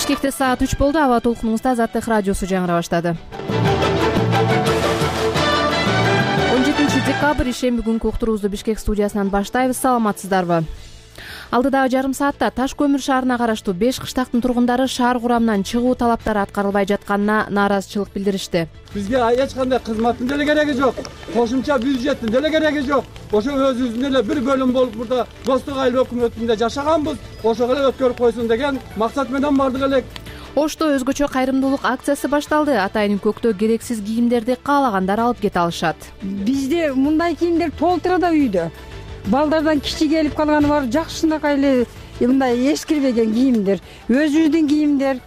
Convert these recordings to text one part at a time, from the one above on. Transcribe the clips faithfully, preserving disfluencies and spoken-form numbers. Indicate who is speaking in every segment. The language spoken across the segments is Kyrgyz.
Speaker 1: Бишкекте саат үч болду. Аба толкунуңузда Азаттык радиосу жаңыра баштады. он жетинчи декабрь ишемби күнкү уктуруубузду Бишкек студиясынан баштайбыз. Саламатсыздарбы? Алдыдагы жарым саатта Таш көмүр шаарына караштуу беш кыштактын тургундары шаар курамынан чыгуу талаптары аткарылбай жатканына нааразычылык билдиришти.
Speaker 2: Бизге эч кандай кызматтын деле кереги жок, кошумча бюджеттин деле кереги жок. Ошо өзүбүздүн эле бир бөлүм болуп мурда Достук айыл өкмөтүндө жашаганбыз. Ошого эле өткөрүп койсун деген максат менен бардык элек.
Speaker 1: Ошто өзгөчө кайрымдуулук акциясы башталды. Атайын көктө керексиз кийимдерди каалагандар алып кете алышат.
Speaker 3: Бизде мындай кийимдер толтура үйдө. Балдардан кичи келип калганы бар, жакшынакай эле мындай эскирбеген кийимдер, өзүбүздүн кийимдер.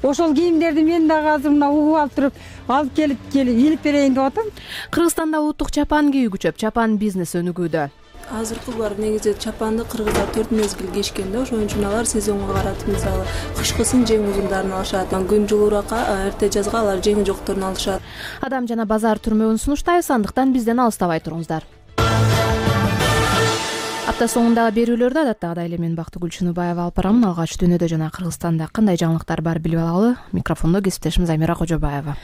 Speaker 3: Ошол кийимдерди мен дагы азыр мына угуп алып туруп, алып келип келип илип берейин деп атам.
Speaker 1: Кыргызстанда улуттук чапан кийүү күчөп, чапан бизнес өнүгүүдө.
Speaker 4: Азыркы бар негизи чапанды кыргыздар төрт мезгил кийишкен да, ошон үчүн алар сезонго каратып мисалы кышкысын жең узундарын алышат, күн жылуураакка эрте жазга алар жеңи жокторун алышат.
Speaker 1: Адам жана базар түрмөгүн сунуштайбыз, андыктан бизден алыстабай туруңуздар. Апта соңундагы берүүлөрдө адаттагыдай эле мен Бактыгүл Чыныбаева алып барамын. Алгач дүйнөдө жана Кыргызстанда кандай жаңылыктар бар билип алалы. Микрофондо кесиптешим Замира Кожобаева.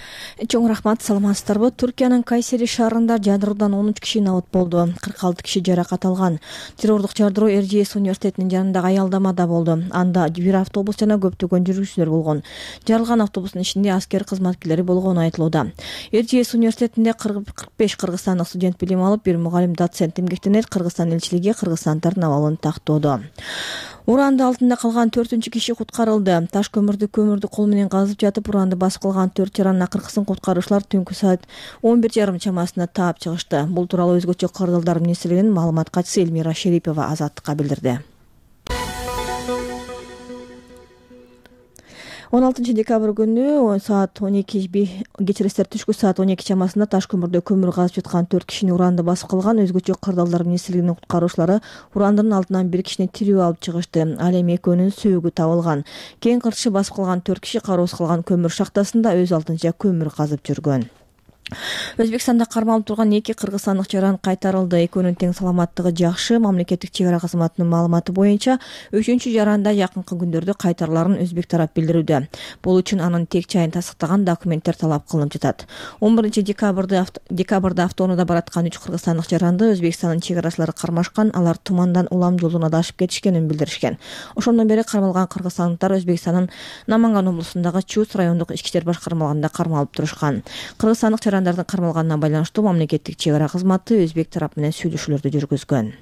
Speaker 5: Чоң рахмат, саламатсыздарбы? Түркиянын Кайсери шаарында жардыруудан он үч киши набыт болду. кырк алты киши жаракат алган. Террордук жардыруу Эр Жи Эс университетинин жанындагы аялдамада болду. Анда бир автобус жана көптөгөн жүргүчүлөр болгон. Жарылган автобустун ичинде аскер кызматкерлери болгону айтылууда. Эр Жи Эс университетинде кырк беш кыргызстандык студент билим алып, бир мугалим доцент эмгектенет. Кыргызстан элчилиги кыргызстандардын абалын тактоодо. Уранды алтында калган төртүнчү киши куткарылды. Таш көмүрдү көмүрдү кол менен казып жатып, уранды басып калган төрт жаран акыркысын куткаруучулар түнкү саат он бир жарым чамасында таап чыгышты. Бул тууралуу өзгөчө кырдаалдар министрлигинин маалымат катчысы Элмира Шерипова Азаттыкка билдирди. он алтынчы декабрь күнү саат он эки кечиресиздер түшкү саат он эки чамасында Таш көмүрдө көмүр казып жаткан төрт кишини уранды басып калган. Өзгөчө кырдаалдар министрлигинин куткаруучулары урандын алдынан бир кишини тирүү алып чыгышты. Ал эми экөөнүн сөөгү табылган. Кийин кыртышы басып калган төрт киши кароосуз калган көмүр шахтасында өз алдынча көмүр казып жүргөн. Өзбекстанда кармалып турган эки кыргызстандык жаран кайтарылды. Экөөнүн тең саламаттыгы жакшы. Мамлекеттик чек ара кызматынын маалыматы боюнча үчүнчү жаранда жакынкы күндөрдө кайтарыларын өзбек тарап билдирүүдө. Бул үчүн анын тек чайын тастыктаган документтер талап кылынып жатат. он биринчи декабрда декабрда автоунаада бараткан үч кыргызстандык жаранды Өзбекстандын чек арачылары кармашкан. Алар тумандан улам жолдон адашып кетишкенин билдиришкен. Ошондон бери кармалган кыргызстандыктар Өзбекстандын Наманган облусундагы Чус райондук ички иштер башкармалыгында кармалып турушкан. Кыргызстандык жарандардын кармалганына байланыштуу мамлекеттик чек ара кызматы өзбек тарап менен сүйлөшүүлөрдү жүргүзгөн.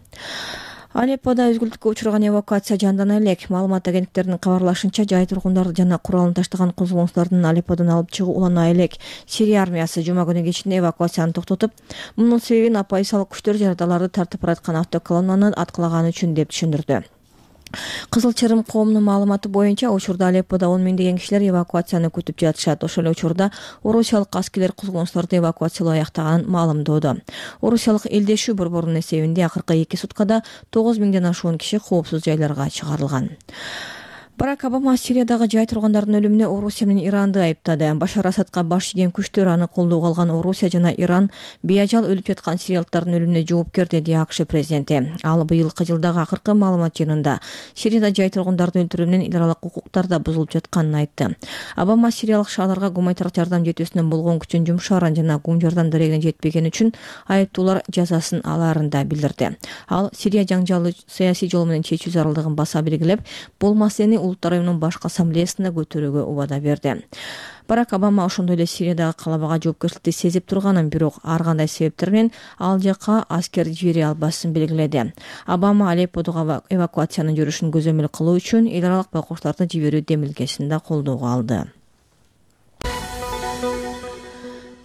Speaker 5: Алеппода өзгүлтүккө учурган эвакуация жандана элек. Маалымат агенттиктеринин кабарлашынча, жай тургундарды жана куралын таштаган козголоңчулардын Алепподон алып чыгуу улана элек. Сирия армиясы жума күнү кечинде эвакуацияны токтотуп, мунун себебин оппозициялык күчтөр жарандаларды тартып бараткан автоколоннаны аткылаганы үчүн деп түшүндүрдү. Кызыл Чырым коомунун маалыматы боюнча, учурда Алепподо он миңдеген кишилер эвакуацияны күтүп жатышат. Ошол эле учурда орусиялык аскерлер козголоңчуларды эвакуациялоо аяктаганын маалымдоодо. Орусиялык элдешүү борборунун эсебинде акыркы эки суткада тогуз миңден ашуун киши коопсуз жайларга чыгарылган. Барак Обама Сириядагы жай тургундардын өлүмүнө Орусия менен Иранды айыптады. Башар Асадка баш ийген күчтөр аны колдоого алган Орусия жана Иран бейажал өлүп жаткан сириялыктардын өлүмүнө жооптор деди АКШ президенти. Ал быйылкы жылдагы акыркы маалымат жыйынында Сирияда жай тургундардын өлтүрүү менен эл аралык укуктар да бузулуп жатканын айтты. Обама сириялык шаарларга гуманитардык жардам жетүүсүнөн болгон күчүн жумшаарын жана гум жардам дарегине жетпегени үчүн айыптуулар жазасын алаарын да билдирди. Ал Сирия жаңжалы саясий жол менен чечүү зарылдыгын баса белгилеп, бул маселени Улуттар уюмунун башкы ассамблеясында көтөрүүгө убада берди. Барак Обама ошондой эле Сириядагы калабага жоопкерчиликти сезип турганын, бирок ар кандай себептер менен ал жакка аскер жибере албасын белгиледи. Обама Алепподогу эвакуациянын жүрүшүн көзөмөл кылуу үчүн эл аралык байкоочуларды жиберүү демилгесин да колдоого алды.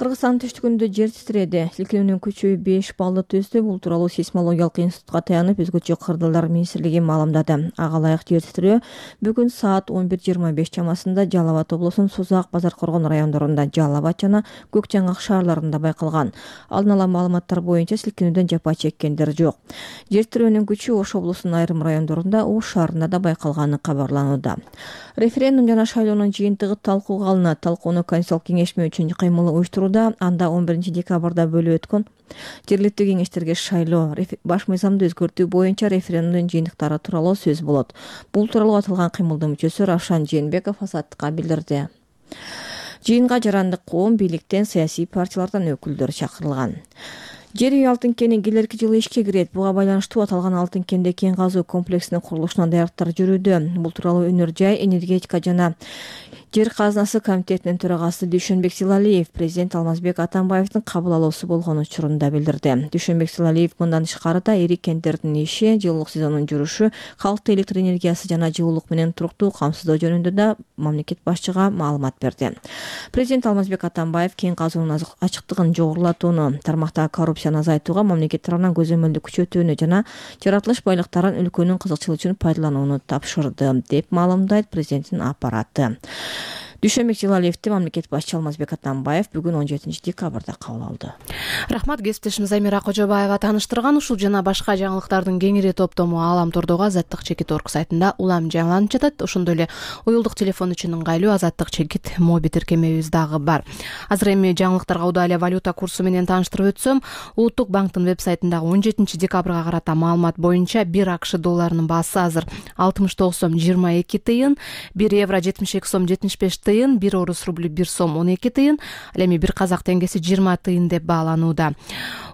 Speaker 5: Кыргызстандын түштүгүндө жер титиреди. Силкинүүнүн күчү беш баллды түздү. Бул тууралуу сейсмологиялык институтка таянып, өзгөчө кырдаалдар министрлиги маалымдады. Ага ылайык жер титирөө бүгүн саат он бир жыйырма беш чамасында Жалал Абад облусунун Созак, Базаркоргон райондорунда, Жалал Абад жана Көк Жаңак шаарларында байкалган. Алдын ала маалыматтар боюнча силкинүүдөн жапа чеккендер жок. Жер титирөөнүн күчү Ош облусунун айрым райондорунда, Ош шаарында да байкалганы кабарланууда. Референдум жана шайлоонун жыйынтыгы талкууга алынат. Талкууну Конституциялык кеңешме үчүн кыймыл уюштурууда. Анда он биринчи декабрда бөлүп өткөн Жергиликтүү кеңештерге шайлоо, баш мыйзамды өзгөртүү боюнча референдумдун жыйынтыктары тууралуу сөз болот. Бул тууралуу аталган кыймылдын мүчөсү Равшан Жээнбеков Азаттыкка билдирди. Жыйынга жарандык коом, бийликтен, саясий партиялардан өкүлдөр чакырылган. Жер үй алтын кени келерки жылы ишке кирет. Буга байланыштуу аталган алтын кенде кен казуу комплексинин курулушуна даярдыктар жүрүүдө. Бул тууралуу Өнөр жай, энергетика жана жер казынасы комитетинин төрагасы Дүйшөнбек Силалиев президент Алмазбек Атамбаевдин кабыл алуусу болгон учурунда билдирди. Дүйшөнбек Силалиев мындан тышкары да ири кенттердин иши, жылуулук сезонунун жүрүшү, калктуу электр энергиясы жана жылуулук менен туруктуу камсыздоо жөнүндө да мамлекет башчыга маалымат берди. Президент Алмазбек Атамбаев кен казуунун ачыктыгын жогорулатууну, тармактагы коррупцияны азайтууга мамлекет тарабынан көзөмөлдү күчөтүүнү жана жаратылыш байлыктарын өлкөнүн кызыкчылыгы үчүн пайдаланууну тапшырды, деп маалымдайт президенттин аппараты. Дүйшөнбек Силалиевди мамлекет башчы Алмазбек Атамбаев бүгүн он жетинчи декабрда кабыл алды.
Speaker 1: Рахмат, кесиптешим Замира Кожобаева тааныштырган ушул жана башка жаңылыктардын кеңири топтому Аалам тордогу Азаттык чекит орг сайтында улам жаңыланып жатат. Ошондой эле уюлдук телефон үчүн ыңгайлуу Азаттык чекит моби тиркемебиз дагы бар. Азыр эми жаңылыктарга удаа эле валюта курсу менен тааныштырып өтсөм, Улуттук банктын веб-сайтындагы он жетинчи декабрга карата маалымат боюнча бир АКШ долларынын баасы азыр алтымыш тогуз сом жыйырма эки тыйын, бир евро жетимиш эки сом жетимиш беш тыйын, бир орус рубль бир сом он эки тыйын, ал эми бир казак теңгеси жыйырма тыйын деп бааланууда.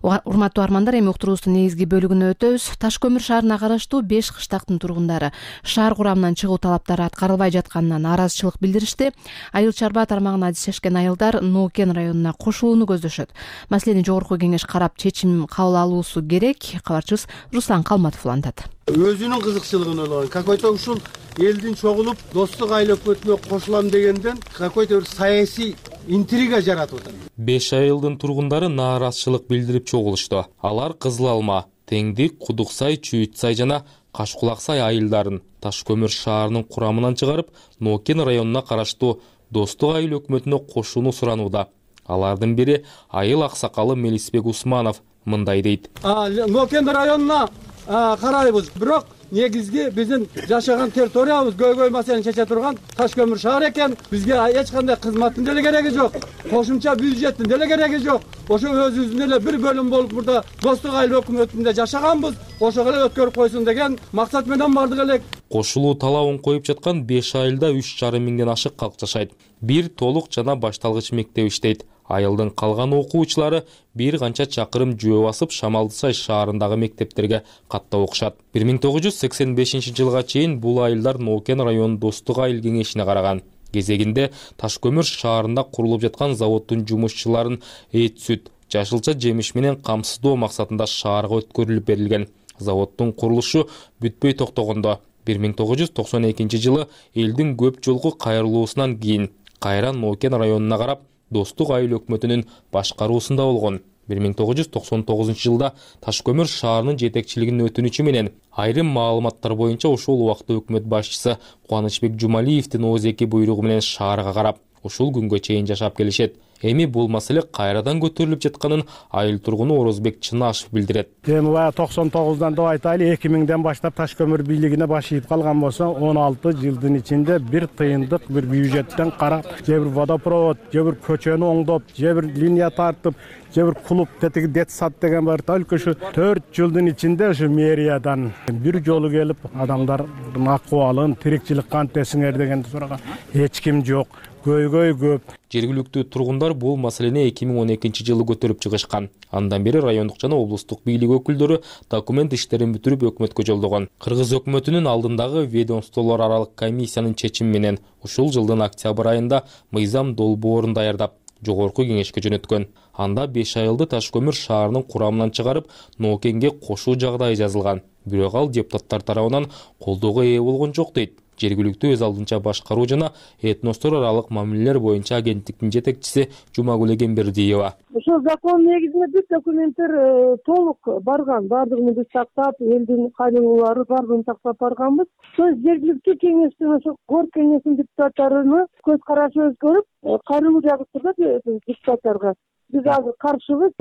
Speaker 1: Урматтуу армандар, эми уктуруубуздун негизги бөлүгүнө өтөбүз. Таш көмүр шаарына караштуу беш кыштактын тургундары шаар курамынан чыгуу талаптары аткарылбай жатканына нааразычылык билдиришти. Айыл чарба тармагына адистешкен айылдар Ноокен районуна кошулууну көздөшөт. Маселени жогорку кеңеш карап чечим кабыл алуусу керек. Кабарчыбыз Руслан Калматов улантат.
Speaker 2: Өзүнүн кызыкчылыгын ойлогон, какой-то ушул элдин чогулуп достук айыл өкмөтүнө кошулам дегенден какой-то бир саясий интрига жаратып атат.
Speaker 6: Беш айылдын тургундары нааразычылык билдирип чогулушту. Алар Кызыл Алма, Теңдик, Кудуксай, Чүйүтсай жана Кашкулаксай айылдарын Таш көмүр шаарынын курамынан чыгарып, Ноокен районуна караштуу достук айыл өкмөтүнө кошууну суранууда. Алардын бири айыл аксакалы Мелисбек Усманов мындай дейт.
Speaker 2: Ноокен районуна карайбыз, бирок негизги биздин жашаган территориябыз көйгөй маселени чече турган Таш көмүр шаар экен. Бизге эч кандай кызматтын деле кереги жок, кошумча бюджеттин деле кереги жок. Ошо өзүбүздүн эле бир бөлүм болуп мурда достук айыл өкмөтүндө жашаганбыз, ошого эле өткөрүп койсун деген максат менен бардык элек.
Speaker 6: Кошулуу талабын коюп жаткан беш айылда үч жарым миңден ашык калк жашайт. Бир толук жана башталгыч мектеп иштейт. Айылдын калган окуучулары бир канча чакырым жөө басып Шамалдысай шаарындагы мектептерге каттап окушат. бир миң тогуз жүз сексен бешинчи жылга чейин бул айылдар Ноокен районунун достук айыл кеңешине караган. Кезегинде Таш көмүр шаарында курулуп жаткан заводдун жумушчуларын эт сүт, жашылча жемиш менен камсыздоо максатында шаарга өткөрүлүп берилген. Заводдун курулушу бүтпөй токтогондо бир миң тогуз жүз токсон экинчи жылы элдин көп жолку кайрылуусунан кийин кайра Ноокен районуна карап достук айыл өкмөтүнүн башкаруусунда болгон. бир миң тогуз жүз токсон тогузунчу жылда Таш көмүр шаарынын жетекчилигинин өтүнүчү менен айрым маалыматтар боюнча ошол убакта өкмөт башчысы Кубанычбек Жумалиевдин оозеки буйругу менен шаарга карап ушул күнгө чейин жашап келишет. Эми бул маселе кайрадан көтөрүлүп жатканын айыл тургуну Орозбек Чынашев билдирет.
Speaker 7: Эми баягы токсон тогуздан деп айтайлы, эки миңден баштап Таш көмүр бийлигине баш ийип калган болсо, он алты жылдын ичинде бир тыйындык бир бюджеттен карап, же бир водопровод, же бир көчөнү оңдоп, же бир линия тартып, же бир клуб тетиги детсад деген бар. Только ушу төрт жылдын ичинде ушу мэриядан бир жолу келип адамдардын акыбалын, тирикчилик кантесиңер дегенди сураган эч ким жок. Көйгөй көп.
Speaker 6: Жергиликтүү тургундар бул маселени эки миң он экинчи жылы көтөрүп чыгышкан. Андан бери райондук жана облустук бийлик өкүлдөрү документ иштерин бүтүрүп өкмөткө жолдогон. Кыргыз өкмөтүнүн алдындагы ведомстволор аралык комиссиянын чечими менен ушул жылдын октябрь айында мыйзам долбоорун даярдап жогорку кеңешке жөнөткөн. Анда беш айылды Таш көмүр шаарынын курамынан чыгарып, Ноокенге кошуу жагдайы жазылган. Бирок ал депутаттар тарабынан колдоого ээ болгон жок дейт. Жергиликтүү өз алдынча башкаруу жана этностор аралык мамилелер боюнча агенттиктин жетекчиси Жумагүл Эгембердиева.
Speaker 8: Ошол закон негизинде бүт документтер толук барган, баардыгын биз тактап, элдин кайрылуулары баардыгын тактап барганбыз. Ошо жергиликтүү кеңештин ошо кор кеңешинин депутаттарыны көз карашы өзгөрүп, кайрылуу жагып турат депутаттарга. Биз азыр каршыбыз.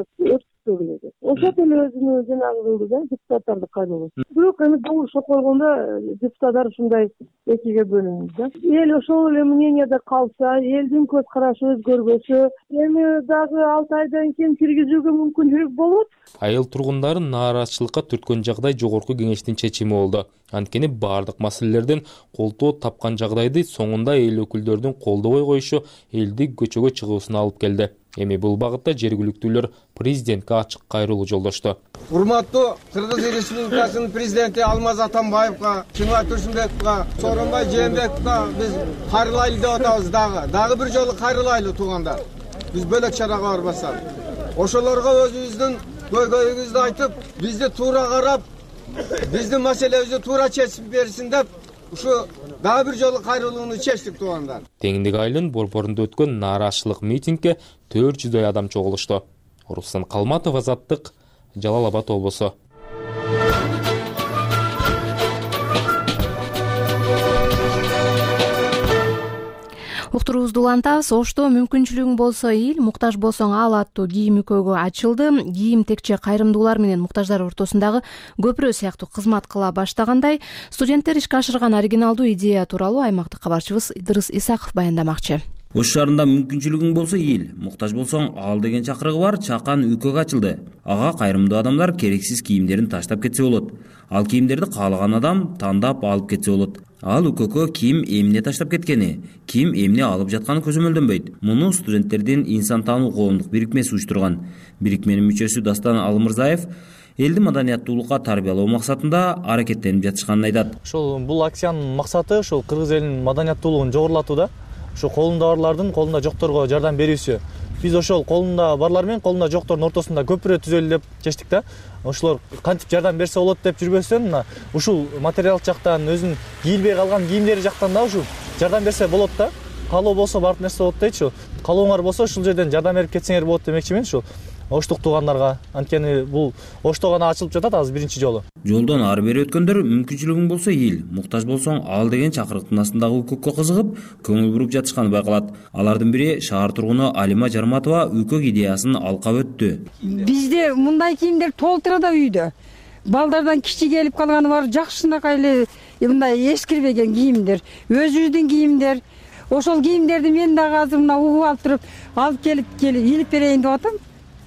Speaker 8: өтпөй келет. Ошол эле өзүнүн жанагы депутаттарды кайрылуу. Бирок эми добуш койгондо депутаттар ушундай экиге бөлүнүп да. Эл ошол эле мненияда калса, элдин көз карашы өзгөрбөсө, эми дагы алты айдан кийин киргизүүгө мүмкүнчүлүк болот.
Speaker 6: Айыл тургундары нааразычылыкка түрткөн жагдай жогорку кеңештин чечими болду. Анткени бардык маселелерден колтоо тапкан жагдайды соңунда эл өкүлдөрүнүн колдобой коюшу элди көчөгө чыгуусуна алып келди. Эми бул багытта жергиликтүүлөр президентке ачык кайрылуу жолдошту.
Speaker 9: Урматтуу Кыргыз Республикасынын президенти Алмаз Атамбаевга, Чыңгат Турсунбековго, Сооронбай Жээнбековго биз кайрылайлы деп атабыз дагы. Дагы бир жолу кайрылайлы туугандар. Биз бөлөк чарага барбасак. Ошолорго өзүбүздүн көйгөйүбүздү айтып, бизди туура карап, биздин маселебизди туура чечип берсин деп ушу дагы бир жолу кайрылууну чечтик туугандар.
Speaker 6: Теңдик айылынын борборунда өткөн нааразычылык митингге төрт жүздөй адам чогулушту. Руслан Калматов, Азаттык, Жалал Абад облусу.
Speaker 1: Уктуруубузду улантабыз. Ошто мүмкүнчүлүгүң болсо ил, муктаж болсоң ал аттуу кийим үкөгү ачылды. Кийим текче кайрымдуулар менен муктаждар ортосундагы көпүрө сыяктуу кызмат кыла баштагандай, студенттер ишке ашырган оригиналдуу идея тууралуу аймактык кабарчыбыз Идырыс Исаков баяндамакчы.
Speaker 10: Ош шаарында мүмкүнчүлүгүң болсо эл, муктаж болсоң ал деген чакырыгы бар чакан үкөк ачылды. Ага кайрымдуу адамдар керексиз кийимдерин таштап кетсе болот. Ал кийимдерди каалаган адам тандап алып кетсе болот. Ал үкөккө ким эмне таштап кеткени, ким эмне алып жатканы көзөмөлдөнбөйт. Муну студенттердин инсан таануу коомдук бирикмеси уюштурган. Бирикменин мүчөсү Дастан Алмырзаев элди маданияттуулукка тарбиялоо максатында аракеттенип жатышканын айтат.
Speaker 11: Ошол бул акциянын максаты ошол кыргыз элинин маданияттуулугун жогорулатууда. Ошо колунда барлардын колунда жокторго жардам берүүсү. Биз ошол колунда барлар менен колунда жоктордун ортосунда көпүрө түзөлү деп чечтик да. Ошолор кантип жардам берсе болот деп жүрбөстөн, мына ушул материал жактан өзүнүн кийилбей калган кийимдери жактан да ушул жардам берсе болот да. Каалоо болсо баардык нерсе болот дейчү. Каалооңор болсо ушул жерден жардам берип кетсеңер болот демекчимин ушул оштук туугандарга. Анткени бул ошто гана ачылып жатат азыр биринчи жолу.
Speaker 10: Жолдон ары бери өткөндөр мүмкүнчүлүгүң болсо эл, муктаж болсоң ал деген чакырыктын астындагы үкөккө кызыгып, көңүл буруп жатышканы байкалат. Алардын бири шаар тургуну Алима Жарматова үкөк идеясын алкап өттү.
Speaker 3: Бизде мындай кийимдер толтура да үйдө. Балдардан кичи келип калганы бар, жакшынакай эле мындай эскирбеген кийимдер, өзүбүздүн кийимдер. Ошол кийимдерди мен дагы азыр мына угуп алып туруп, алып келип келип илип берейин деп атам.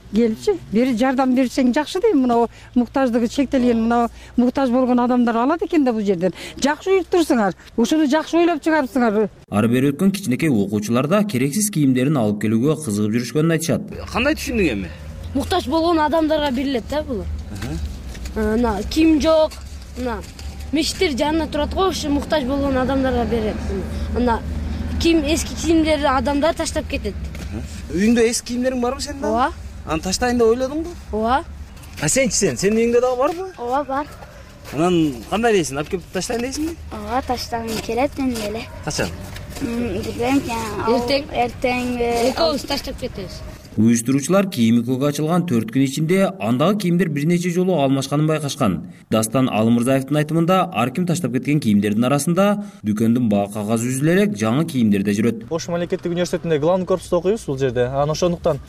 Speaker 3: Келипчи, бери жардам берсең жакшы дейм. Мына муктаждыгы чектелген, мына муктаж болгон адамдар алат экен да бул жерден. Жакшы уюштурсуңар, ушуну жакшы ойлоп чыгарыпсыңар.
Speaker 10: Ары бери өткөн кичинекей окуучулар да керексиз кийимдерин алып келүүгө кызыгып жүрүшкөнүн айтышат.
Speaker 12: Кандай түшүндүң эми?
Speaker 13: Муктаж болгон адамдарга берилет да бул. Мына кийим жок, мына миштер жанында турат го, ошо муктаж болгон адамдарга берет. Мына кийим эски кийимдерди адамдар таштап кетет.
Speaker 12: Үйүңдө эски кийимдериң барбы сенин?
Speaker 13: Ооба.
Speaker 12: Аны таштайын деп ойлодуңбу?
Speaker 13: Ооба.
Speaker 12: А сенчи сен, сенин үйүңдө дагы барбы?
Speaker 13: Ооба, бар.
Speaker 12: Анан кандай дейсиң? Алып келип таштайын дейсиңби?
Speaker 13: Ооба, таштагым келет мен деле.
Speaker 12: Качан?
Speaker 13: Билбейм, эртең. Эртең экөөбүз таштап кетебиз.
Speaker 10: Уюштуруучулар кийим үкөгө ачылган төрт күн ичинде андагы кийимдер бир нече жолу алмашканын байкашкан. Дастан Алымырзаевдин айтымында ар ким таштап кеткен кийимдердин арасында дүкөндүн баа кагазы үзүлө элек жаңы кийимдер да жүрөт.
Speaker 11: Ош мамлекеттик университетинде главный корпуста окуйбуз бул жерде. Анан ошондуктан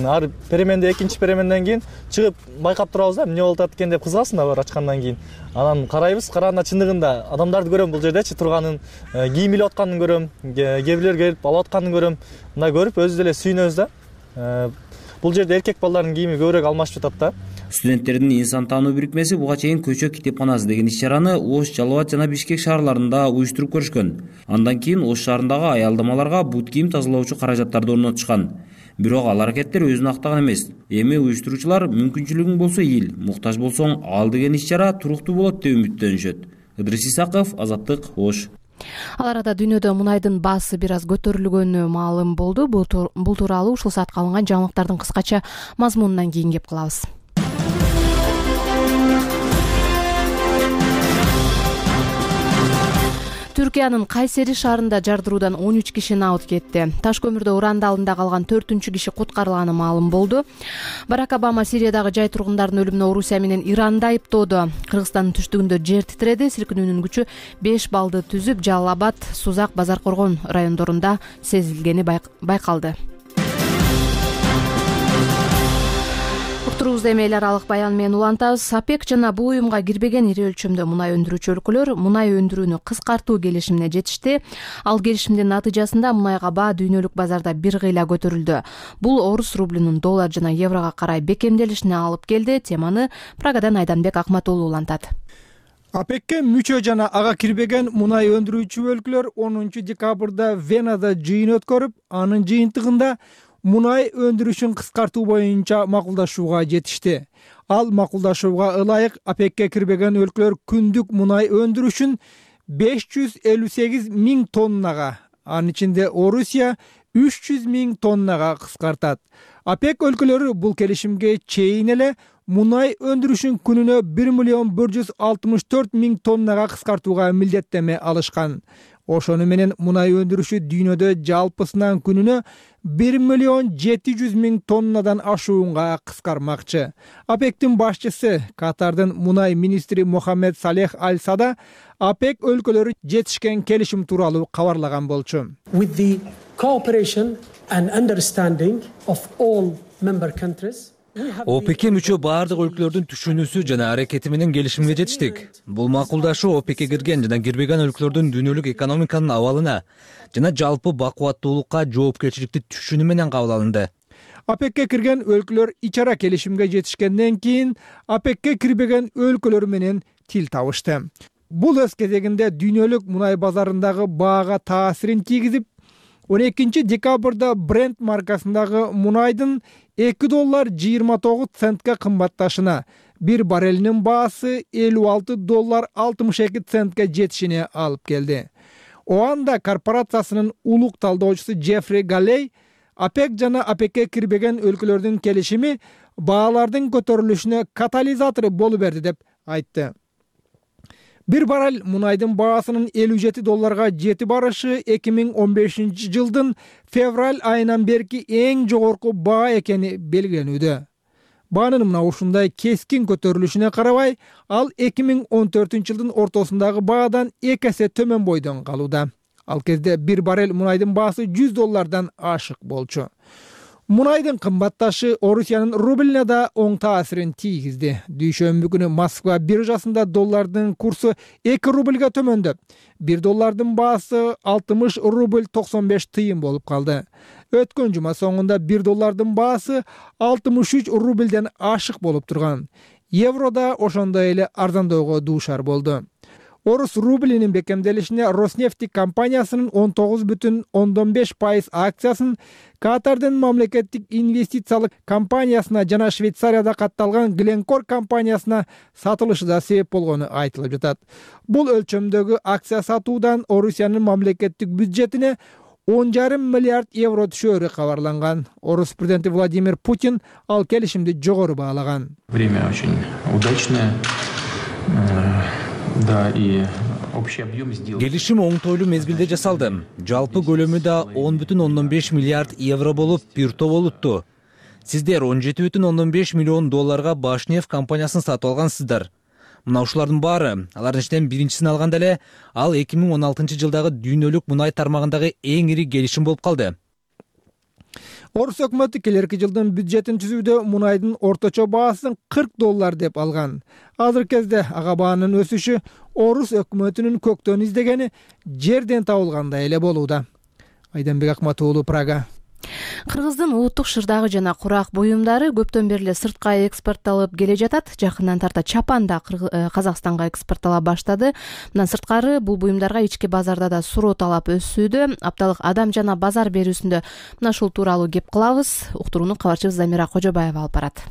Speaker 11: ар переменде экинчи переменден кийин чыгып байкап турабыз да, эмне болуп атат экен деп кызыгасың да бар ачкандан кийин. Анан карайбыз, караганда чындыгында адамдарды көрөм бул жердечи турганын, кийим илип атканын көрөм, кээ бирлер келип алып атканын көрөм. Мындай көрүп өзүбүз деле сүйүнөбүз да. Бул жерде эркек балдардын кийими көбүрөөк алмашып жатат да.
Speaker 10: Студенттердин инсан таануу бирикмеси буга чейин көчө китепканасы деген иш-чараны Ош, Жалал Абад жана Бишкек шаарларында уюштуруп көрүшкөн. Андан кийин Ош шаарындагы аялдамаларга бут кийим тазалоочу каражаттарды орнотушкан. Бирок ал аракеттер өзүн актаган эмес. Эми уюштуруучулар мүмкүнчүлүгүң болсо эл, муктаж болсоң ал деген иш-чара туруктуу болот деп үмүттөнүшөт. Идырыс Исаков, Азаттык, Ош.
Speaker 1: Ал арада дүйнөдө мунайдын баасы бир аз көтөрүлгөнү маалым болду. Бул тууралуу ушул саатка алынган жаңылыктардын кыскача мазмунунан кийин кеп калабыз. Түркиянын Кайсери шаарында жардыруудан он үч киши набыт кетти. Таш көмүрдө урандалында калган төртүнчү киши куткарылганы маалым болду. Барак Обама Сириядагы жай тургундардын өлүмүнө Орусия менен Иранды айыптоодо. Кыргызстандын түштүгүндө жер титиреди. Силкинүүнүн күчү беш баллды түзүп, Жалал Абад, Сузак, Базар Коргон райондорунда сезилгени байкалды. Уктуруубузду эми эл аралык баян менен улантабыз. ОПЕК жана бул уюмга кирбеген ири өлчөмдө мунай өндүрүүчү өлкөлөр мунай өндүрүүнү кыскартуу келишимине жетишти. Ал келишимдин натыйжасында мунайга баа дүйнөлүк базарда бир кыйла көтөрүлдү. Бул орус рублинин доллар жана еврого карай бекемделишине алып келди. Теманы Прагадан Айданбек Акматуулу улантат.
Speaker 14: ОПЕКке мүчө жана ага кирбеген мунай өндүрүүчү өлкөлөр онунчу декабрда Венада жыйын өткөрүп, анын жыйынтыгында мунай өндүрүшүн кыскартуу боюнча макулдашууга жетишти. Ал макулдашууга ылайык ОПЕКке кирбеген өлкөлөр күндүк мунай өндүрүшүн беш жүз элүү сегиз миң тоннага, анын ичинде Орусия үч жүз миң тоннага кыскартат. ОПЕК өлкөлөрү бул келишимге чейин эле мунай өндүрүшүн күнүнө бир миллион бир жүз алтымыш төрт миң тоннага кыскартууга милдеттеме алышкан. Ошону менен мунай өндүрүшү дүйнөдө жалпысынан күнүнө бир миллион жети жүз миң тоннадан ашуунга кыскармакчы. ОПЕКтин башчысы, Катардын мунай министри Мохаммед Салех Аль Сада ОПЕК өлкөлөрү жетишкен келишим тууралуу кабарлаган болчу.
Speaker 15: With the cooperation and understanding of all member countries,
Speaker 16: ОПЕКке мүчө баардык өлкөлөрдүн түшүнүүсү жана аракети менен келишимге жетиштик. Бул макулдашуу ОПЕКке кирген жана кирбеген өлкөлөрдүн дүйнөлүк экономиканын абалына жана жалпы бакубаттуулукка жоопкерчиликти түшүнүү менен кабыл алынды.
Speaker 14: ОПЕКке кирген өлкөлөр ичара келишимге жетишкенден кийин ОПЕКке кирбеген өлкөлөр менен тил табышты. Бул өз кезегинде дүйнөлүк мунай базарындагы баага таасирин тийгизип, он экинчи декабрда Brent маркасындагы мунайдын эки доллар жыйырма тогуз центке кымбатташына, бир баррелинин баасы элүү алты доллар алтымыш эки центке жетишине алып келди. Оанда корпорациясынын улук талдоочусу Джеффри Галлей ОПЕК жана ОПЕКке кирбеген өлкөлөрдүн келишими баалардын көтөрүлүшүнө катализатор болуп берди деп айтты. Бир баррель мунайдын баасынын элүү жети долларга жетип барышы эки миң он бешинчи жылдын февраль айынан берки эң жогорку баа экени белгиленүүдө. Баанын мына ушундай кескин көтөрүлүшүнө карабай, ал эки миң он төртүнчү жылдын ортосундагы баадан эки эсе төмөн бойдон калууда. Ал кезде бир баррель мунайдын баасы жүз доллардан ашык болчу. Мунайдын кымбатташы Орусиянын рублине да оң таасирин тийгизди. Дүйшөмбү күнү Москва биржасында доллардын курсу эки рубльга төмөндөп, бир доллардын баасы алтымыш рубль токсон беш тыйын болуп калды. Өткөн жума соңунда бир доллардын баасы алтымыш үч рубльден ашык болуп турган. Евро да ошондой эле арзандоого дуушар болду. Орус рублинин бекемделишине Роснефть компаниясынын он тогуз бүтүн ондон беш пайыз акциясын Катардын мамлекеттик инвестициялык компаниясына жана Швейцарияда катталган Glencore компаниясына сатылышы да себеп болгону айтылып жатат. Бул өлчөмдөгү акция сатуудан Орусиянын мамлекеттик бюджетине он жарым миллиард евро түшөөрү кабарланган. Орус президенти Владимир Путин ал келишимди жогору баалаган.
Speaker 17: Время очень удачное. Да, и общий объем сделки.
Speaker 16: Келишим оңтойлуу мезгилде жасалды. Жалпы көлөмү да он бүтүн ондон беш миллиард евро болуп, бир топ болупту. Сиздер он жети бүтүн ондон беш миллион долларга Башнефть компаниясын сатып алгансыздар. Мына ушулардын баары, алардын ичинен биринчисин алганда эле, ал эки миң он алтынчы жылдагы дүйнөлүк мунай тармагындагы эң ири келишим болуп калды.
Speaker 14: Орус өкмөтү келерки жылдын бюджетин түзүүдө мунайдын орточо баасын кырк доллар деп алган. Азыркы кезде ага баанын өсүшү Орус өкмөтүнүн көктөн издегени жерден табылгандай эле болууда. Айданбек Акматуулу, Прага.
Speaker 1: Кыргыздын улуттук шырдагы жана курак буюмдары көптөн бери эле сыртка экспортталып келе жатат. Жакындан тарта чапан да Казакстанга экспорттала баштады. Мындан сырткары бул буюмдарга ички базарда да суроо талап өсүүдө. Апталык адам жана базар берүүсүндө мына ушул тууралуу кеп кылабыз. Уктурууну кабарчыбыз Замира Кожобаева алып барат.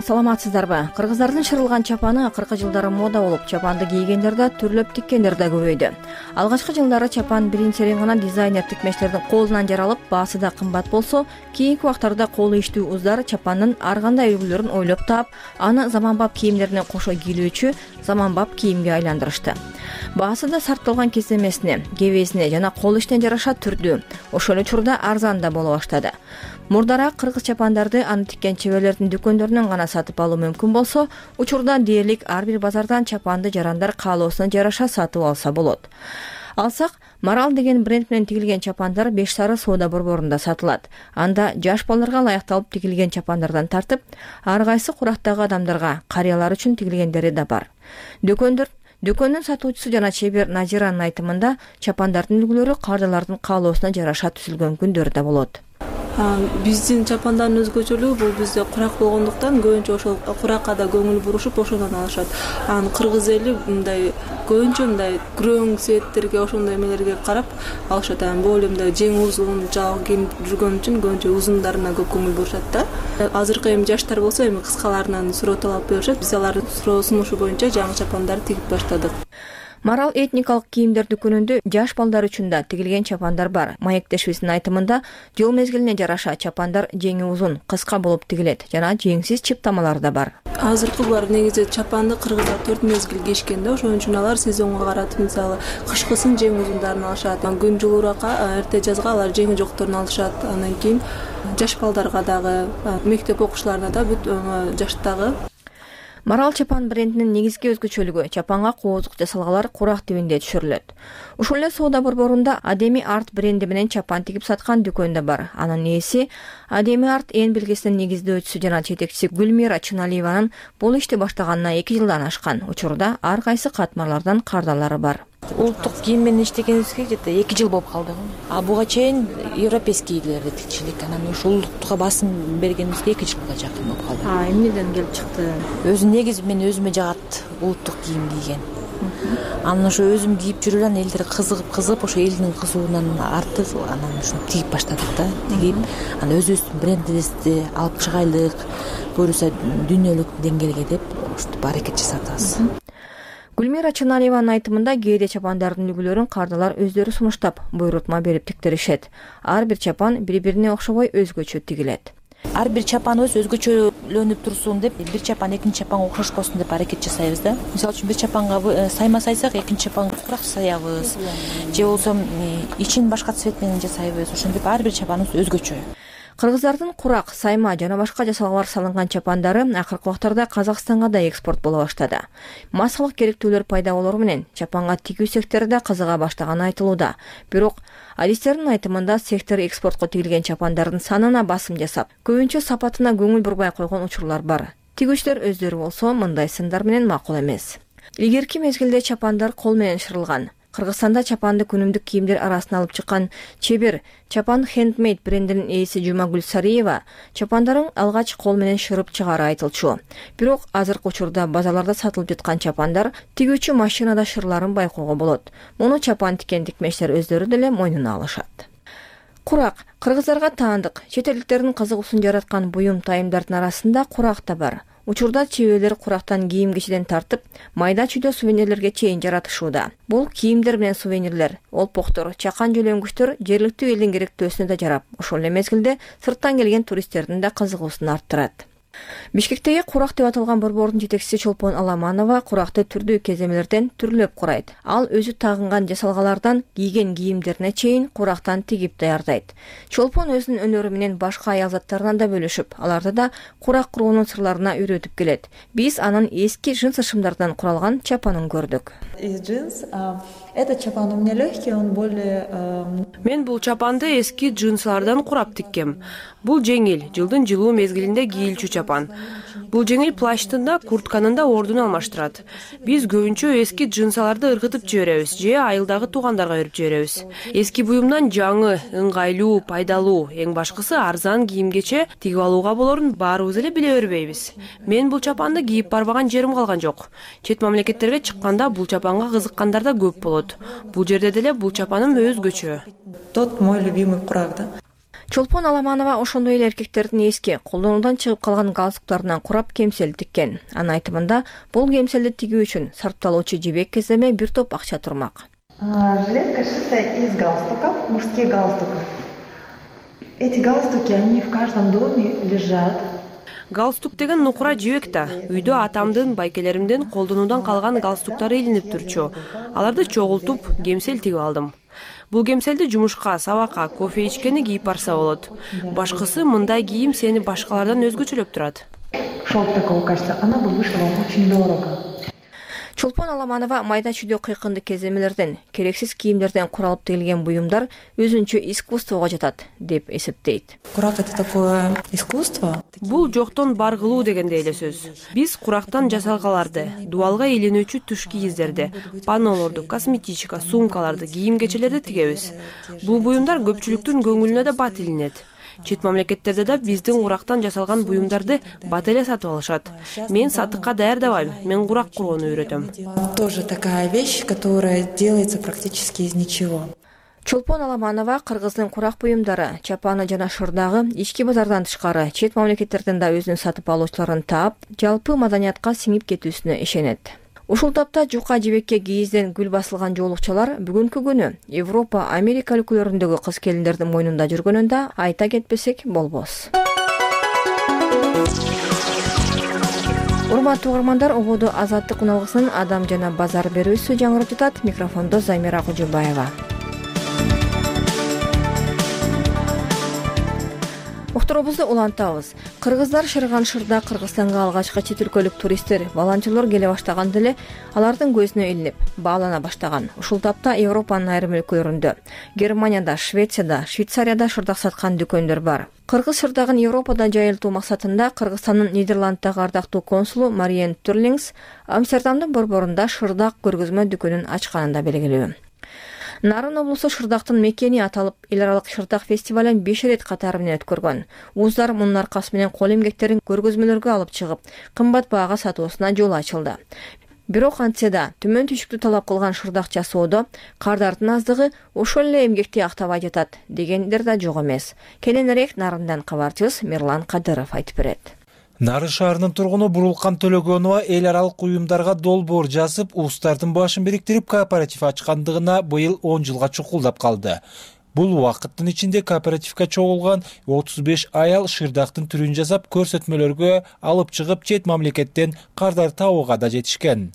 Speaker 5: Саламатсыздарбы? Кыргыздардын шырылган чапаны акыркы жылдары мода болуп, чапанды кийгендер да, түрлөп тиккендер да көбөйдү. Алгачкы жылдары чапан биринчилен гана дизайнер тикмечтердин колунан жаралып, баасы да кымбат болсо, кийинки убактарда кол иштүү уздар чапандын ар кандай үлгүлөрүн ойлоп таап, аны заманбап кийимдерине кошо кийилүүчү заманбап кийимге айландырышты. Баасы да сарпталган кесемесине, кебесине жана кол иштен жараша түрдүү, ошол учурда арзан да боло баштады. Мурдараак кыргыз чапандарды аны тиккен чеберлердин дүкөндөрүнөн гана сатып алуу мүмкүн болсо, учурда дээрлик ар бир базардан чапанды жарандар каалоосуна жараша сатып алса болот. Алсак, Марал деген бренд менен тигилген чапандар Беш Сары соода борборунда сатылат. Анда жаш балдарга ылайыкталып тигилген чапандардан тартып, ар кайсы курактагы адамдарга, карыялар үчүн тигилгендери да бар. Дөкөндөр Дөкөндүн сатуучусу жана чебер Назиранын айтымында чапандардын үлгүлөрү кардалардын каалоосуна жараша түзүлгөн күндөр да болот.
Speaker 4: Биздин чапандардын өзгөчөлүгү бул бизде курак болгондуктан көбүнчө ошол куракка да көңүл бурушуп ошондон алышат. Анан кыргыз эли мындай көбүнчө мындай күрөң цветтерге ошондой эмелерге карап алышат. Анан бул мындай жең узун жал кийип жүргөн үчүн көбүнчө узундарына көп көңүл бурушат да. Азыркы эми жаштар болсо эми кыскаларынан суроо талап беришет. Биз алардын суроо сунушу боюнча жаңы чапандарды тигип баштадык.
Speaker 5: Марал этникалык кийимдер дүкөнүндө жаш балдар үчүн да тигилген чапандар бар. Маектешибиздин айтымында жыл мезгилине жараша чапандар жеңи узун, кыска болуп тигилет жана жеңсиз чыптамалар да бар.
Speaker 4: Азыркы булар негизи чапанды кыргыздар төрт мезгил кийишкен да, ошон үчүн алар сезонго каратып мисалы кышкысын жең узундарын алышат, күн жылуураакка эрте жазга алар жеңи жокторун алышат. Андан кийин жаш балдарга дагы, мектеп окуучуларына да бүт жаштагы.
Speaker 5: Марал чапан брендинин негизги өзгөчөлүгү чапанга коозук жасалгалар курак тибинде түшүрүлөт. Ушул эле соода борборунда Адеми Арт бренди менен чапан тигип саткан дүкөн да бар. Анын ээси Адеми Арт эн белгисинин негиздөөчүсү жана жетекчиси Гүлмира Чыналиеванын бул ишти баштаганына эки жылдан ашкан. Учурда ар кайсы катмарлардан кардалары бар.
Speaker 18: Улуттук кийим менен иштегенибизге где-то эки жыл болуп калды. А буга чейин европейскийлерди тигичилик. Анан ушул улуттукка басым бергенибизге эки жылга жакын болуп калды.
Speaker 5: А эмнеден келип чыкты?
Speaker 18: Өзү негизи мен өзүмө жагат улуттук кийим кийген. Анан ошо өзүм кийип жүрүп анан элдер кызыгып кызыгып ошо элдин кызуунан артып анан ушуну тигип баштадык да. Тигип анан өзүбүздүн брендибизди алып чыгайлык, буюрса дүйнөлүк деңгээлге деп ушинтип аракет жасап атабыз.
Speaker 5: Гүлмира Чыналиеванын айтымында кээде чапандардын үлгүлөрүн кардалар өздөрү сунуштап, буйрутма берип тиктеришет. Ар бир чапан бири-бирине окшобой өзгөчө тигилет.
Speaker 18: Ар бир чапаныбыз өзгөчөлөнүп турсун деп, бир чапан экинчи чапанга окшошпосун деп аракет жасайбыз да. Мисалы үчүн бир чапанга сайма сайсак, экинчи чапанга курак саябыз. Же болсо ичин башка цвет менен жасайбыз. Ошентип ар бир чапаныбыз өзгөчө.
Speaker 5: Кыргыздардын курак, сайма жана башка жасалгалар салынган чапандары акыркы убактарда Казакстанга да экспорт боло баштады. Массалык керектүүлөр пайда болору менен чапанга тигүү сектору да кызыга баштаганы айтылууда. Бирок адистердин айтымында сектор экспортко тигилген чапандардын санына басым жасап, көбүнчө сапатына көңүл бурбай койгон учурлар бар. Тигүүчүлөр өздөрү болсо мындай сындар менен макул эмес. Илгерки мезгилде чапандар кол менен шырылган. Кыргызстанда чапанды күнүмдүк кийимдер арасына алып чыккан чебер Чапан Handmade брендинин ээси Жумагүл Сариева чапандарын алгач кол менен шырып чыгаары айтылчу. Бирок азыркы учурда базарларда сатылып жаткан чапандар тигүүчү машинада шырларын байкоого болот. Муну чапан тиккен тикмештер өздөрү деле мойнуна алышат. Курак кыргыздарга таандык, чет элдиктердин кызыгуусун жараткан буюм тайымдардын арасында курак да бар. Учурда чеберлер курактан кийим кичиден тартып, майда чүйдө сувенирлерге чейин жаратышууда. Бул кийимдер менен сувенирлер, олпоктор, чакан жөлөнгүчтөр жергиликтүү элдин керектөөсүнө да жарап, ошол эле мезгилде сырттан келген туристтердин да кызыгуусун арттырат. Бишкектеги курак деп аталган борбордун жетекчиси Чолпон Аламанова куракты түрдүү кеземелерден түрлөп курайт. Ал өзү тагынган жасалгалардан кийген кийимдерине чейин курактан тигип даярдайт. Чолпон өзүнүн өнөрү менен башка аял заттарынан да бөлүшүп, аларды да курак куруунун сырларына үйрөтүп келет. Биз анын эски джинс шымдардан куралган чапанын көрдүк.
Speaker 19: Этот чапан у меня легкий, он более...
Speaker 20: Мен бул чапанды эски джинслардан курап тиккем. Бул жеңил, жылдын жылуу мезгилинде кийилчү чапан. Бул жеңил плащтын да, куртканын да ордун алмаштырат. Биз көбүнчө эски джинсаларды ыргытып жиберебиз же айылдагы туугандарга берип жиберебиз. Эски буюмдан жаңы, ыңгайлуу, пайдалуу, эң башкысы арзан кийимгече тигип алууга болорун баарыбыз эле биле бербейбиз. Мен бул чапанды кийип барбаган жерим калган жок. Чет мамлекеттерге чыкканда бул чапанга кызыккандар да көп болот. Бул жерде деле бул чапаным өзгөчө.
Speaker 19: Тот мой любимый курак, да?
Speaker 5: Чолпон Аламанова ошондой эле эркектердин эски колдонуудан чыгып калган галстуктарынан курап кемсел тиккен. Анын айтымында бул кемселди тигүү үчүн сарпталуучу жибек кеземе бир топ акча турмак.
Speaker 19: Жилетка шитая из галстуков, мужских галстуков. Эти галстуки, они в каждом доме лежат.
Speaker 20: Галстук деген нукура жибек да. Үйдө атамдын, байкелеримдин колдонуудан калган галстуктары илинип турчу. Аларды чогултуп, кемсел тигип алдым. Бул кемселди жумушка, сабакка, кофе ичкени кийип барса болот. Башкысы мындай кийим сени башкалардан өзгөчөлөп турат.
Speaker 19: Шелк такого качества, она бы вышла вам очень дорого.
Speaker 5: Чолпон Аламанова майда чүйдө кыйкынды кеземелерден, керексиз кийимдерден куралып тигилген буюмдар өзүнчө искусствого жатат деп эсептейт.
Speaker 18: Курак — это такое искусство.
Speaker 20: Бул жоктон бар кылуу дегендей эле сөз. Биз курактан жасалгаларды, дубалга илинүүчү туш кийиздерди, паннолорду, косметичка, сумкаларды, кийим кечелерди тигебиз. Бул буюмдар көпчүлүктүн көңүлүнө да бат илинет. Чет мамлекеттерде да биздин курактан жасалган буюмдарды бат эле сатып алышат. Мен сатыкка даярдабайм, мен курак курууну үйрөтөм.
Speaker 18: Тоже такая вещь, которая делается практически из ничего.
Speaker 5: Чолпон Аламанова кыргыздын курак буюмдары, чапаны жана шырдагы ички базардан тышкары чет мамлекеттерден да өзүнүн сатып алуучуларын таап, жалпы маданиятка сиңип кетүүсүнө ишенет. Ушул тапта жука жибекке кийизден гүл басылган жоолукчалар бүгүнкү күнү Европа, Америка өлкөлөрүндөгү кыз келиндердин мойнунда жүргөнүн да айта кетпесек болбос. Урматтуу угармандар, ободу Азаттык уналгысынын Адам жана базар берүүсү жаңырып жатат. Микрофондо Замира Кожобаева. Уктуруубузду улантабыз. Кыргыздар шырган шырда Кыргызстанга алгачкы чет өлкөлүк туристтер, волонтерлор келе баштаганда эле алардын көзүнө илинип, баалана баштаган. Ушул тапта Европанын айрым өлкөлөрүндө, Германияда, Швецияда, Швейцарияда шырдак саткан дүкөндөр бар. Кыргыз шырдагын Европада жайылтуу максатында Кыргызстандын Нидерланддагы ардактуу консулу Мариен Турлингс Амстердамдын борборунда шырдак көргөзмө дүкөнүн ачканында белгилүү. Нарын облусу шырдактын мекени аталып, эл аралык шырдак фестивалын беш ирет катары менен өткөргөн. Уздар мунун аркасы менен кол эмгектерин көргөзмөлөргө алып чыгып, кымбат баага сатуусуна жол ачылды. Бирок антсе да төмөн түшүктү талап кылган шырдак жасоодо кардардын аздыгы ошол эле эмгекти актабай жатат дегендер да жок эмес. Кененирээк Нарындан кабарчыбыз Мирлан Кадыров айтып берет.
Speaker 21: Нарын шаарынын тургуну Бурулкан Төлөгөнова эл аралык уюмдарга долбоор жазып, устардын башын бириктирип кооператив ачкандыгына быйыл он жылга чукулдап калды. Бул убакыттын ичинде кооперативге чогулган отуз беш аял шырдактын түрүн жасап, көрсөтмөлөргө алып чыгып, чет мамлекеттен кардар табууга да жетишкен.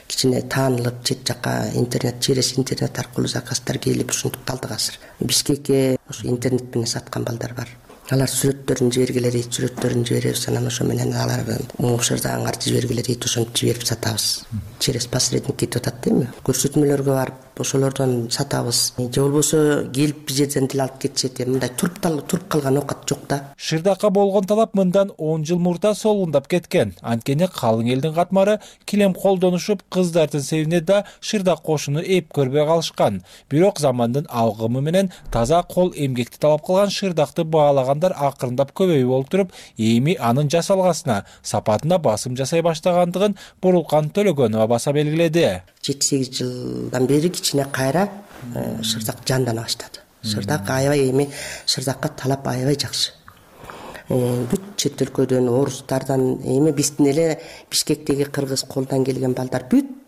Speaker 22: Кичине таанылып, чет жака интернет, через интернет аркылуу заказдар келип, ушинтип калдык азыр. Бишкекке ушу интернет менен саткан балдар бар. Алар сүрөттөрүн жибергиле дейт, сүрөттөрүн жиберебиз, анан ошо менен алар шырдагыңарды жибергиле дейт, ошентип жиберип сатабыз. Через посредник кетип атат дейми? Көрсөтмөлөргө барып, ошолордон сатабыз. Же болбосо келип бир жерден деле алып кетишет, мындай туруп туруп калган оокат жок да.
Speaker 21: Шырдакка болгон талап мындан он жыл мурда солундап кеткен. Анткени калың элдин катмары килем колдонушуп, кыздардын себине да шырдак кошуну эп көрбөй калышкан. Бирок замандын алгымы менен таза кол эмгекти талап кылган шырдакты баалаган акырындап көбөйүп болуп туруп, эми анын жасалгасына, сапатына басым жасай баштагандыгын Бурулкан Төлөгөнова баса белгиледи.
Speaker 22: жети сегиз жылдан бери кичине кайра шырдак жандана баштады. Шырдак аябай эми шырдакка талап аябай жакшы. Бүт чет өлкөдөн, орустардан, эми биздин эле Бишкектеги кыргыз колдон келген балдар бүт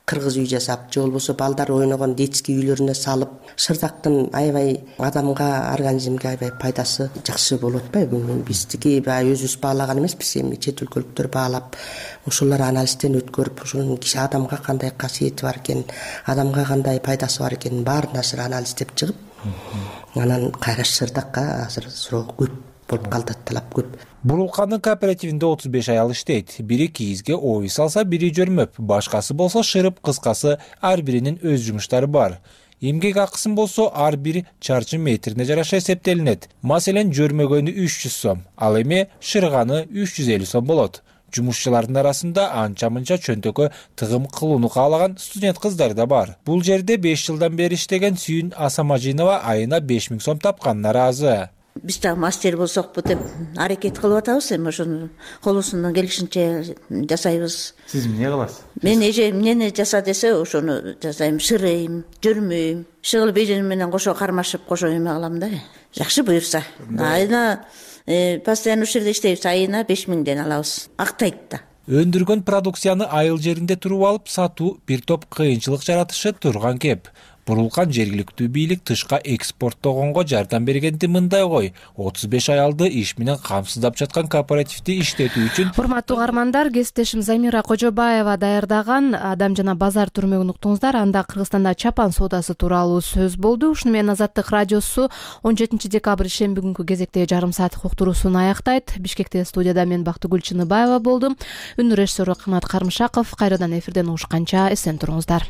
Speaker 22: кыргыз үй жасап, же болбосо балдар ойногон детский үйлөрүнө салып, шырдактын аябай адамга, организмге аябай пайдасы жакшы болуп атпайбы? Биздики баягы өзүбүз баалаган эмеспиз, эми чет өлкөлүктөр баалап, ошолор анализден өткөрүп, ошонун киши адамга кандай касиети бар экен, адамга кандай пайдасы бар экенин баарын азыр анализдеп чыгып, анан кайра шырдакка азыр суроо көп болуп калды, талап көп.
Speaker 21: Бурулкандын кооперативинде отуз беш аял иштейт. Бири кийизге оюй салса, бири жөрмөп, башкасы болсо шырып, кыскасы ар биринин өз жумуштары бар. Эмгек акысын болсо ар бир чарчы метрине жараша эсептелинет. Маселен, жөрмөгөнү үч жүз сом, ал эми шырганы үч жүз элүү сом болот. Жумушчулардын арасында анча-мынча чөнтөккө тыгым кылууну каалаган студент кыздар да бар. Бул жерде беш жылдан бери иштеген Сүйүн Асамажинова айына беш миң сом тапканына ыраазы.
Speaker 23: Биз да мастер болсокпу деп аракет кылып атабыз, эми ошону колубуздан келишинче жасайбыз.
Speaker 12: Сиз эмне кыласыз?
Speaker 23: Мен эже эмнени жаса десе, ошону жасайм, шырыйм, жүрмөйм. Шыгыл бежен менен кошо кармашып, кошо эме кылам да. Жакшы буюрса. Айына постоянно ушул жерде иштейбиз, айына беш миңден алабыз. Актайт да.
Speaker 21: Өндүргөн продукцияны айыл жеринде туруп алып сатуу бир топ кыйынчылык жаратышы турган кеп. бурулган жергиликтүү бийлик тышка экспорттогонго жардам бергенди мындай кой отуз беш аялды иш менен камсыздап жаткан кооперативди иштетүү үчүн.
Speaker 1: Урматтуу угармандар, кесиптешим Замира Кожобаева даярдаган Адам жана базар түрмөгүн уктуңуздар. Анда Кыргызстанда чапан соодасы тууралуу сөз болду. Ушуну менен Азаттык радиосу он жетинчи декабрь ишемби күнкү кезектеги жарым сааттык уктуруусун аяктайт. Бишкекте студияда мен Бактыгүл Чыныбаева болдум. Үнү режиссеру Кымат Кармышаков. Кайрадан эфирден угушканча эсен туруңуздар.